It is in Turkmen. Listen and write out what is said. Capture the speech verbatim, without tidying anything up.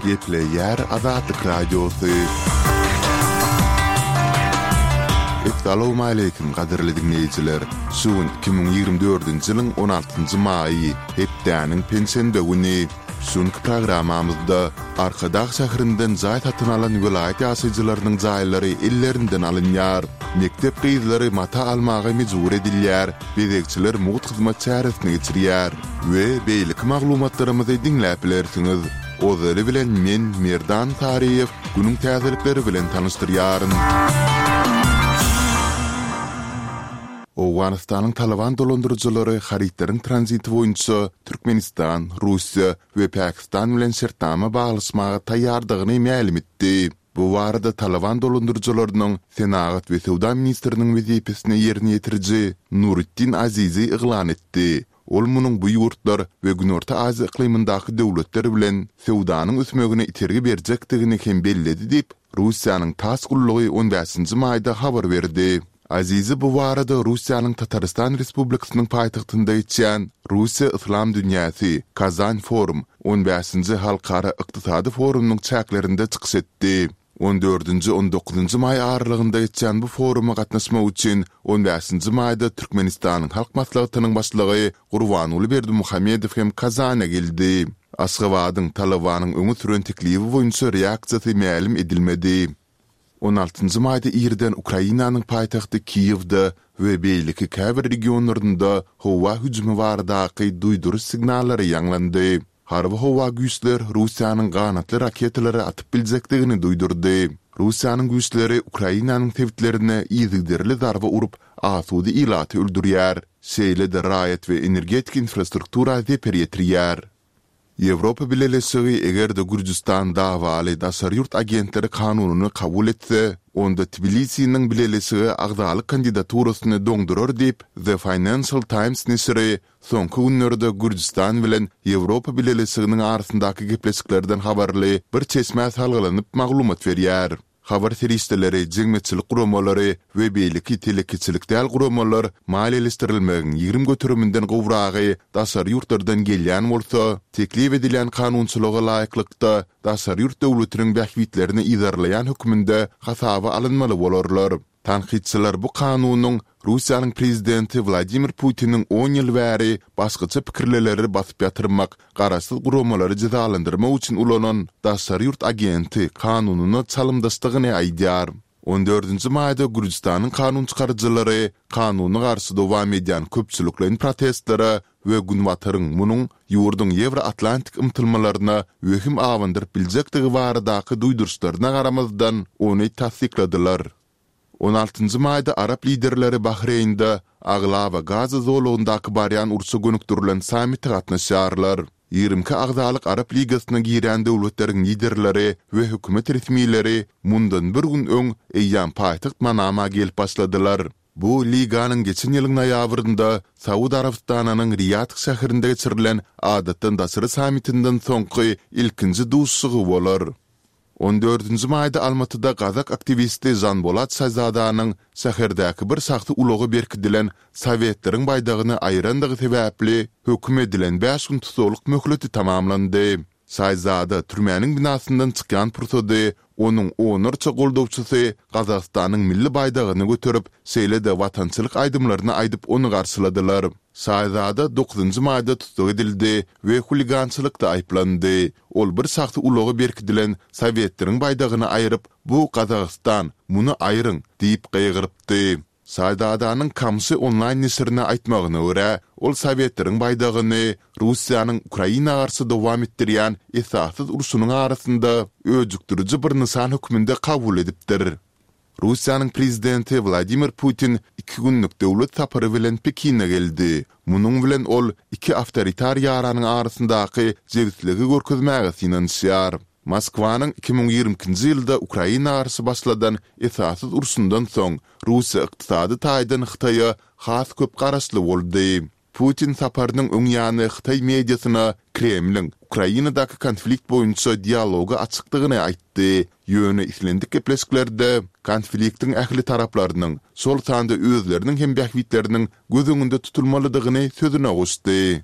Gepleýär Azatlyk Radiosy. Essalawmaleýkim gadyrly diňleýjiler! Şu gün iki müň ýigrimi dördünji ýylyň on altynjy maýy, hepdäniň penşenbe güni. Şu günki programmamyzda Arkadag şäherinden jaý satyn alan welaýat ýaşaýjylarynyň jaýlary ellerinden alynýar. Mekdep gyzlary mata almaga mejbur edilýär, bezegçiler mugt hyzmat çäresini geçirýär we beýleki maglumatlarymyzy diňläp bilersiňiz. Ozaly bilen men, Merdan Saryýew, günüň täzelikleri bilen tanyşdyrýaryn. Owganystanyň Talyban dolandyryjylary harytlaryň tranziti boýunça Türkmenistan, Russiýa we Pakistan bilen şertnama baglaşmaga taýýardygyny mälim etdi. Bu barada Talyban dolandyryjylarynyň senagat we söwda ministriniň wezipesini ýerine ýetiriji Nuritdin Azizi yglan etdi. Ol munuň bu ýurtlar we Günorta Aziýa yklymyndaky döwletler bilen söwdanyň ösmegine itergi berjekdigini hem belledi diýip, Russiýanyň TASS gullugy on bäşinji maýda habar berdi. Azizi bu barada Russiýanyň Tatarystan Respublikasynyň paýtagtynda geçýän Russiýa-Yslam dünýäsi, Kazan Forum on bäşinji halkara ykdysady forumynyň çäklerinde çykyş etdi. On dördünji-on dokuzynjy maý aralygynda geçýän bu foruma gatnaşmak üçin on bäşinji maýda Türkmenistanyň Halk Maslahatynyň Başlygy Gurbanguly Berdimuhamedow hem Kazana geldi. Aşgabadyň Talybanyň öňe süren teklibi boýunça reaksiýasy mälim edilmedi. On altynjy maýda irden Ukrainanyň paýtagty Kiýewde we beýleki käbir regionlarynda howa hüjümi baradaky duýduryş signallary ýaňlandy. Harby howa güýçler Russiýanyň ganatly raketalary atyp biljekdigini duýdurdy. Russiýanyň güýçleri Ukrainanyň sebitlerine yzygiderli zarba urup, asuda ilaty öldürýär, şeýle-de raýat we energetika infrastruktura zeper ýetirýär. Ýewropa Bileleşigi eger-de Gürjüstan dawaly daşary ýurt agentleri kanunyny kabul etse, onda Tbilisiniň Bileleşige agzalyk kandidaturasyny doňdurar diýip, The Financial Times neşiri soňky günlerde Gürjüstan bilen Ýewropa Bileleşiginiň arasyndaky gepleşiklerden habarly bir çeşmä salgylanyp maglumat berýär. Habar serişdeleri, jemgyýetçilik guramalary we beýleki telekeçilik däl guramalar maliýeleşdirilmegiň ýigrimi göteriminden gowragy daşary ýurtlardan gelýän bolsa, teklip edilýän kanunçylyga laýyklykda daşary ýurt döwletiniň bähbitlerini yzarlaýan hökmünde hasaba alynmaly bolarlar. Tankytçylar bu kanunyň Russiýanyň prezidenti Wladimir Putiniň on ýyl bäri başgaça pikirlileri basyp ýatyrmak, garaşsyz guramalary jezalandyrmak üçin ulanan daşary ýurt agenti kanunyna çalymdaşdygyny aýdýar. On dördünji maýda Gürjüstanyň kanunçykaryjylary kanuna garşy dowam edýän köpçülikleýin protestlere we Günbataryň munuň ýurduň ýewroatlantik ymtylmalaryna wehim abandyryp biljekdigi baradaky duýduryşlaryna garamazdan, ony tassykladylar. On altynjy maýda arap liderleri Bahreýnde aglaba Gaza zolagyndaky barýan urşa gönükdirilen sammite gatnaşýarlar. Ýigrimi iki agzalyk Arap Ligasyna girýän döwletleriň liderleri we hökümet resmileri mundan bir gün öň eýýäm paýtagt Manama gelip başladylar. Bu liganyň geçen ýylyň noýabrynda Saud Arabystanynyň Riýad şäherinde geçirilen adatdan daşary sammitinden soňky ilkinji duşuşygy bolar. On dördünji maýda Almatyda gazak aktiwisti Žanbolat Şazadanyň şäherdäki bir şahsy ulaga berkidilen Sowetleriň baýdagyny aýyrandygy sebäpli höküm edilen bäş gün tussaglyk möhleti tamamlandy. Şaýzada türmäniň binasyndan çykýan pursady onuň onlarça goldawçysy Gazagystanyň milli baýdagyny göterip, şeýle-de watançylyk aýdymlaryny aýdyp ony garşyladylar. Şaýzada dokuzynjy maýda tussag edildi we huligançylykda aýyplandy. Ol bir şahsy ulaga berkidilen Sowetleriň baýdagyny aýryp, Bu Gazagystan, muny aýryň! diýip gygyrypdy. Şaýzadanyň Kamşy onlaýn neşirine aýtmagyna görä, ol Sowetleriň baýdagyny Russiýanyň Ukraina garşy dowam etdirýän esassyz urşunyň arasynda öjükdiriji bir nyşan hökmünde kabul edipdir. Russiýanyň prezidenti Wladimir Putin iki günlük döwlet sapary bilen Pekine geldi. Munuň bilen ol iki awtoritar ýaranyň arasyndaky jebisligi görkezmäge synanyşýar. Moskwanyň iki müň ýigrimi ikinji ýylda Ukraina garşy başladan esassyz urşundan soň, Russiýa ykdysady taýdan Hytaýa has köp garaşly boldy. Putin saparynyň öň ýany hytaý mediasyna Kremliň Ukrainadaky konflikt boýunça dialoga açykdygyny aýtdy, ýöne islendik gepleşiklerde konfliktiň ähli taraplarynyň, şol sanda özleriniň hem bähbitleriniň göz öňünde tutulmalydygyny sözüne goşdy.